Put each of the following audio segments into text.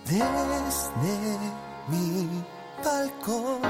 Desde mi balcón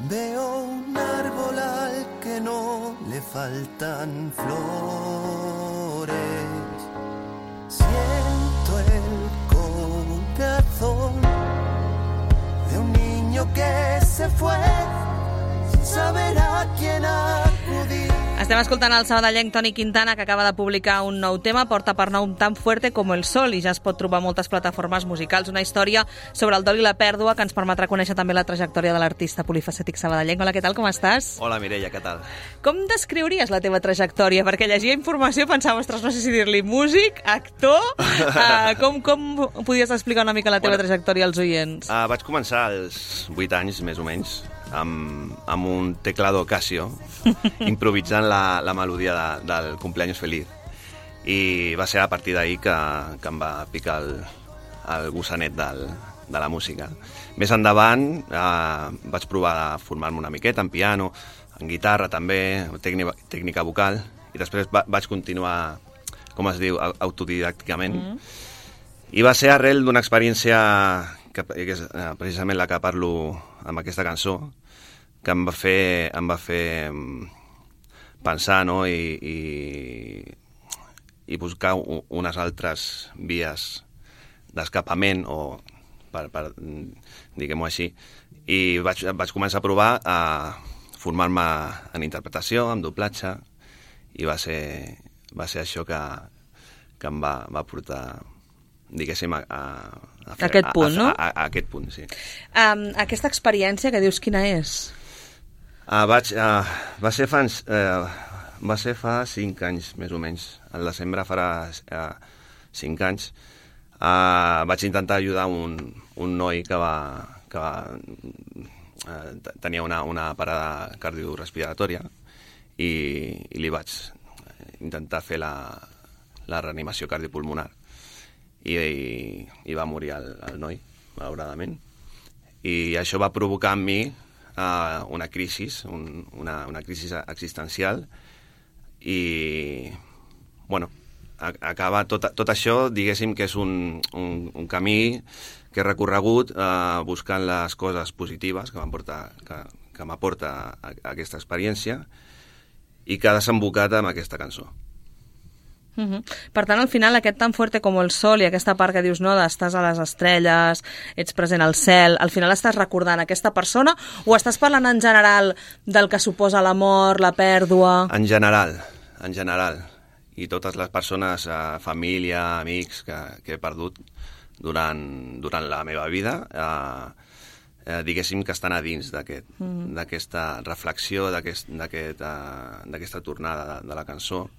veo un árbol al que no le faltan flores. Siento el corazón de un niño que se fue sin saber a quién acudir. Estem escoltant el sabadellenc Toni Quintana, que acaba de publicar un nou tema, Porta per nom tan fuerte com el sol, i ja es pot trobar a moltes plataformes musicals. Una història sobre el dol i la pèrdua que ens permetrà conèixer també la trajectòria de l'artista polifacètic sabadellenc. Hola, què tal, com estàs? Hola, Mireia, què tal? Com descriuries la teva trajectòria? Perquè llegia informació i pensava, ostres, no sé si dir-li músic, actor... Com podies explicar una mica la teva trajectòria als oients? Vaig començar als 8 anys, més o menys, amb un teclado Casio, improvisant la melodia del Cumpleaños Feliz. I va ser a partir d'ahir que em va picar el gossanet de la música. Més endavant vaig provar de formar-me una miqueta en piano, en guitarra també, tècnica vocal, i després vaig continuar, com es diu, autodidàcticament. I va ser arrel d'una experiència, que és precisament la que parlo amb aquesta cançó, que em va fer pensar, no? I buscar unes altres vies d'escapament, o per diguem-ho així. I vaig començar a provar a formar-me en interpretació, en doblatge, i va ser això que em va portar, diguéssim, a aquest punt, no? A aquest punt, sí. Aquesta experiència que dius, quina és? Va ser fa 5 anys, més o menys. Al desembre farà 5 anys. Vaig intentar ajudar un noi que tenia una parada cardiorespiratòria, i li vaig intentar fer la reanimació cardiopulmonar. I va morir el noi, malauradament. I això va provocar en mi una crisi existencial, i, bueno, acaba tot això, diguéssim que és un camí que he recorregut buscant les coses positives que m'aporta aquesta experiència, i que ha desembocat amb aquesta cançó. Per tant, al final, aquest tan fuerte com el sol i aquesta part que dius, no, estàs a les estrelles, ets present al cel, al final estàs recordant aquesta persona, o estàs parlant en general del que suposa la mort, la pèrdua? En general. I totes les persones, família, amics que he perdut durant la meva vida, diguéssim que estan a dins d'aquesta reflexió, d'aquesta tornada de la cançó,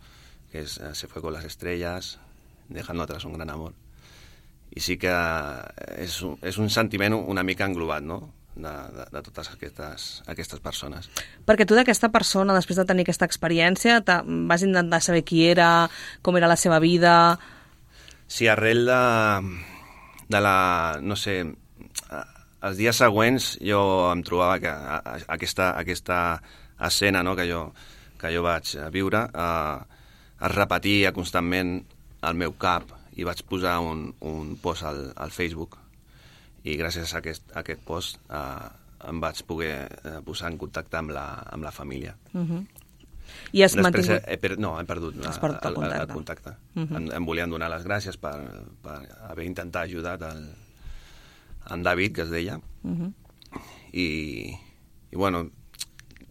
que és Se fue con las estrellas, dejando atrás un gran amor. I sí que és un sentiment una mica englobat, no?, de totes aquestes persones. Perquè tu d'aquesta persona, després de tenir aquesta experiència, vas intentar saber qui era, com era la seva vida... Sí, arrel de la... no sé... Els dies següents jo em trobava que aquesta escena, no?, que jo vaig viure... es repetia constantment al meu cap, i vaig posar un post al Facebook, i gràcies a aquest post em vaig poder posar en contacte amb la família. I has mantingut... No, he perdut el contacte. Em volien donar les gràcies per haver intentat ajudar en David, que es deia, i bueno,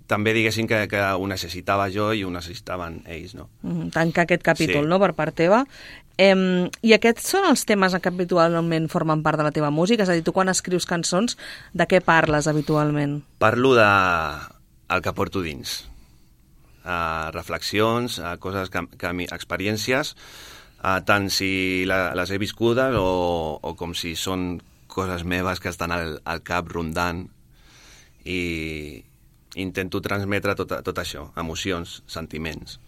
també diguéssim que ho necessitava jo i ho necessitaven ells, no? Tancar aquest capítol, sí, no?, per part teva. I aquests són els temes que habitualment formen part de la teva música? És a dir, tu quan escrius cançons, de què parles habitualment? Parlo del que porto dins. Reflexions, coses, experiències, tant si les he viscudes o com si són coses meves que estan al cap rondant, i intento transmetre tot això, emocions, sentiments.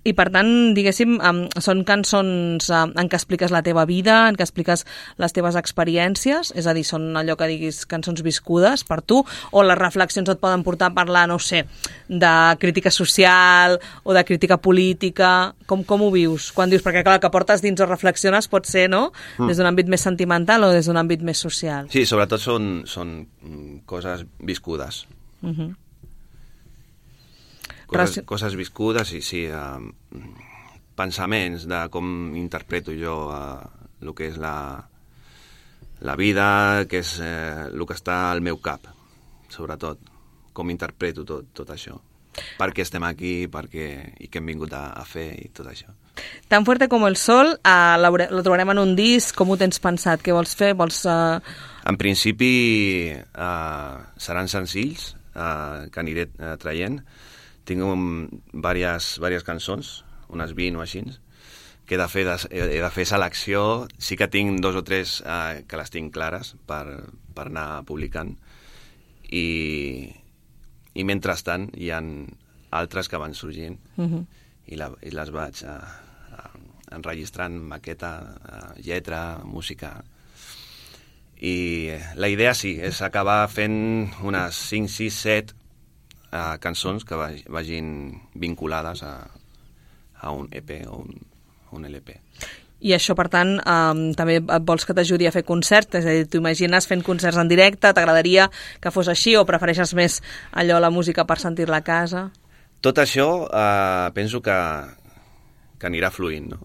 I per tant, diguéssim, són cançons en què expliques la teva vida, en què expliques les teves experiències, és a dir, són allò que diguis cançons viscudes per tu, o les reflexions et poden portar a parlar, no sé, de crítica social o de crítica política. Com ho vius? Quan dius, perquè clar, el que portes dins o reflexiones pot ser, no?, des d'un àmbit més sentimental o des d'un àmbit més social. Sí, sobretot són coses viscudes. Coses viscudes i sí, pensaments de com interpreto jo el que és la vida, que és el que està al meu cap, sobretot, com interpreto tot això. Per què estem aquí, i què hem vingut a fer i tot això. Tan fuerte como el sol, lo trobarem en un disc, com ho tens pensat? Què vols fer? En principi seran senzills que aniré traient. Tinc diverses cançons, unes 20 o així, que he de fer selecció. Sí que tinc 2 o 3 que les tinc clares per anar publicant. I mentrestant hi ha altres que van sorgint i les vaig enregistrant, maqueta, lletra, música. I la idea sí, és acabar fent unes 5, 6, 7 cançons que vagin vinculades a un EP o un LP. I això, per tant, també vols que t'ajudi a fer concerts? És a dir, t'ho imagines fent concerts en directe? T'agradaria que fos així o prefereixes més allò, la música, per sentir-la a casa? Tot això penso que anirà fluint, no?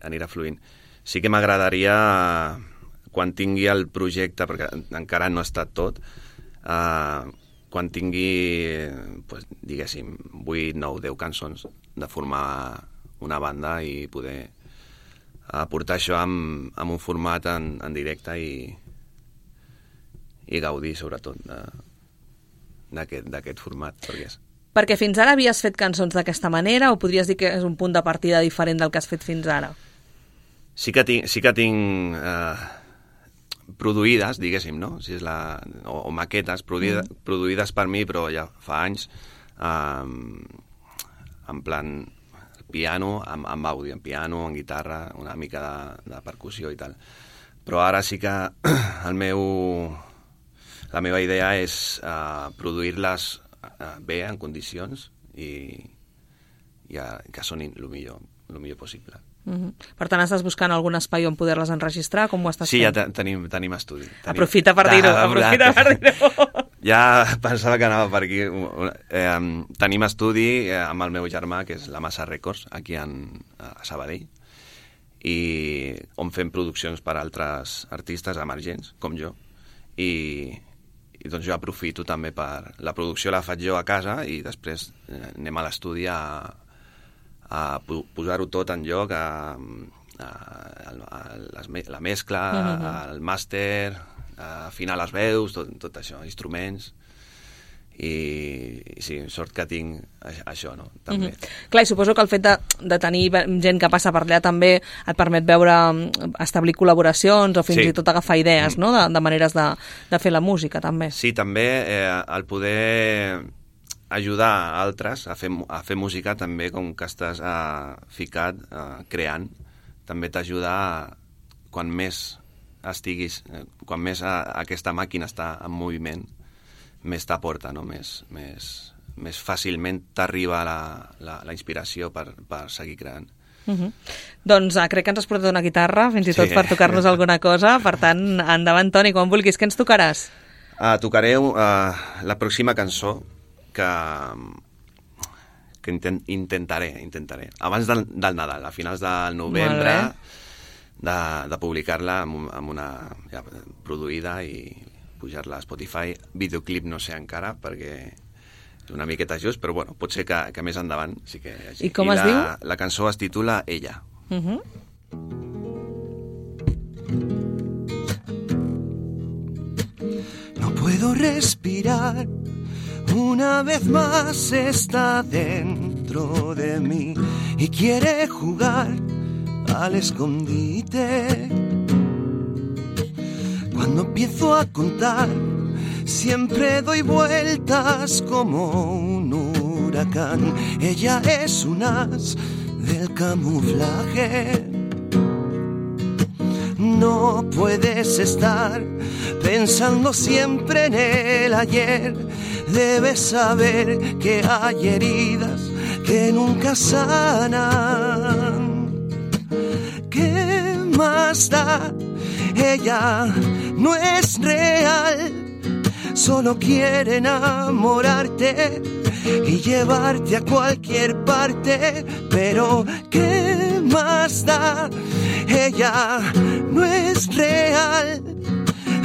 Anirà fluint. Sí que m'agradaria, quan tingui el projecte, perquè encara no ha estat tot, quan tingui, diguéssim, 8, 9, 10 cançons, de formar una banda i poder aportar això amb un format en directe i gaudir, sobretot, d'aquest format. Perquè fins ara havies fet cançons d'aquesta manera o podries dir que és un punt de partida diferent del que has fet fins ara? Sí que tinc produïdes, diguéssim, no? Si és o maquetes produïdes per mi, però ja fa anys, en plan piano, amb àudio, en piano, en guitarra, una mica de percussió i tal. Però ara sí que la meva idea és produir-les bé, en condicions, i que sonin el millor possible. Per tant, estàs buscant algun espai on poder-les enregistrar? Com ho estàs fent? Sí, ja tenim estudi. Aprofita per dir-ho. Ja pensava que anava per aquí. Tenim estudi amb el meu germà, que és la Massa Records, aquí a Sabadell, i on fem produccions per altres artistes emergents, com jo, i doncs jo aprofito també per... La producció la faig jo a casa i després anem a l'estudi a posar-ho tot en lloc, la mescla, el màster, afinar les veus, tot això, instruments, i sí, sort que tinc això, no? També. Clar, i suposo que el fet de tenir gent que passa per allà també et permet veure, establir col·laboracions o fins i tot agafar idees, no?, de maneres de fer la música, també. Sí, també el poder ajudar altres a fer música, també, com que estàs ficat, creant, també t'ajuda quan més estiguis, quan més aquesta màquina està en moviment, més t'aporta, no? Més fàcilment t'arriba la inspiració per seguir creant. Doncs crec que ens has portat una guitarra, fins i tot per tocar-nos alguna cosa. Per tant, endavant, Toni, quan vulguis. Què ens tocaràs? Tocaré la pròxima cançó que intentaré, abans del Nadal, a finals del novembre, de publicar-la amb una produïda i pujar-la a Spotify. Videoclip no sé encara, perquè és una miqueta just, però bueno, pot ser que més endavant sí que hi hagi. I com es diu? La cançó es titula Ella. No puedo respirar, una vez más está dentro de mí y quiere jugar al escondite. Cuando empiezo a contar, siempre doy vueltas como un huracán. Ella es un as del camuflaje. No puedes estar pensando siempre en el ayer. Debes saber que hay heridas que nunca sanan. ¿Qué más da? Ella no es real. Solo quiere enamorarte y llevarte a cualquier parte. Pero ¿qué más da? Ella no es real.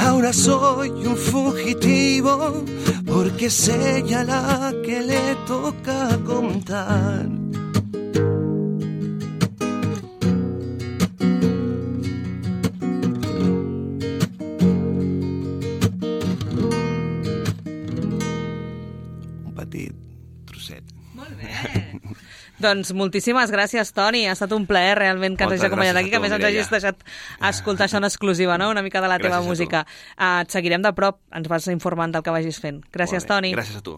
Ahora soy un fugitivo porque es ella la que le toca contar. Un petit trosset. Molt bé. Doncs moltíssimes gràcies, Toni. Ha estat un plaer realment que ens hagis acompanyat aquí, que a més ens hagis deixat escoltar això en exclusiva, no? Una mica de la teva música. Et seguirem de prop, ens vas informant del que vagis fent. Gràcies, Toni. Gràcies a tu.